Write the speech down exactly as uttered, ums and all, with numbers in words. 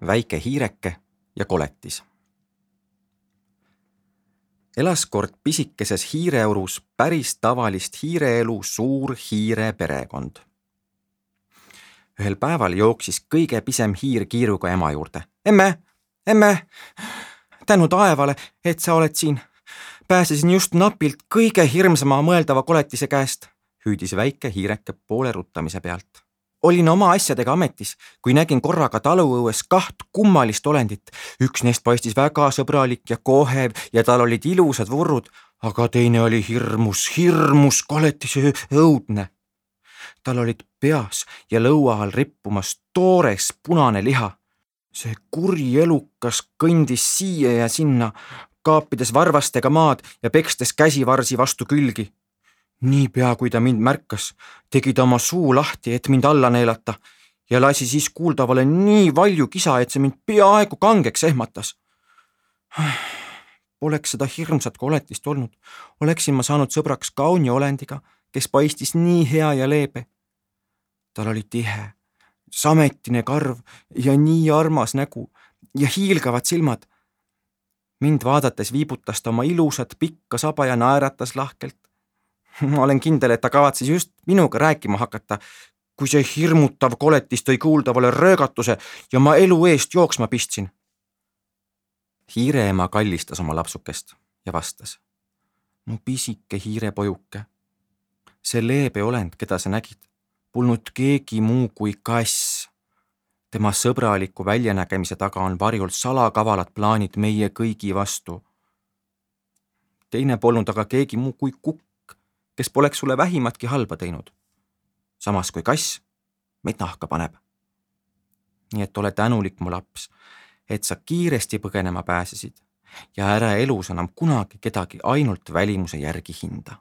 väike hiireke ja koletis. Elas kord pisikeses hiireurus päris tavalist hiireelu suur hiire perekond. Ühel päeval jooksis kõige pisem hiir kiiruga ema juurde. Emme, emme, tänu taevale, et sa oled siin. Pääsesin just napilt kõige hirmsama mõeldava koletise käest, hüüdis väike hiireke poole ruttamise pealt. Olin oma asjadega ametis, kui nägin korraga taluõues kaht kummalist olendit. Üks neist paistis väga sõbralik ja kohev ja tal olid ilusad vurrud, aga teine oli hirmus, hirmus koletise õudne. Tal olid peas ja lõua all rippumas toores punane liha. See kuri elukas kõndis siia ja sinna, kaapides varvastega maad ja pekstes käsivarsi vastu külgi. Niipea, kui ta mind märkas, tegi ta oma suu lahti, et mind alla neelata ja lasi siis kuuldavale nii valju kisa, et see mind peaaegu kangeks ehmatas. Poleks seda hirmsat koletist olnud, oleksin ma saanud sõbraks kauni olendiga, kes paistis nii hea ja leebe. Tal oli tihe, sametine karv ja nii armas nägu ja hiilgavad silmad. Mind vaadates viibutas ta oma ilusat pikka saba ja naeratas lahkelt. Ma olen kindel, et ta kavatses just minuga rääkima hakata, kui see hirmutav koletis tõi kuuldavale röögatuse ja ma elu eest jooksma pistsin. Hiireema kallistas oma lapsukest ja vastas. No pisike hiirepojuke. See leebe olend, keda sa nägid, polnud keegi muu kui kass. Tema sõbraliku väljanägemise taga on varjul salakavalad plaanid meie kõigi vastu. Teine polnud aga keegi muu kui kukk, kes poleks sulle vähimatki halba teinud. Samas kui kass meid nahka paneb. Nii et ole tänulik, mu laps, et sa kiiresti põgenema pääsesid ja ära elus enam kunagi kedagi ainult välimuse järgi hinda.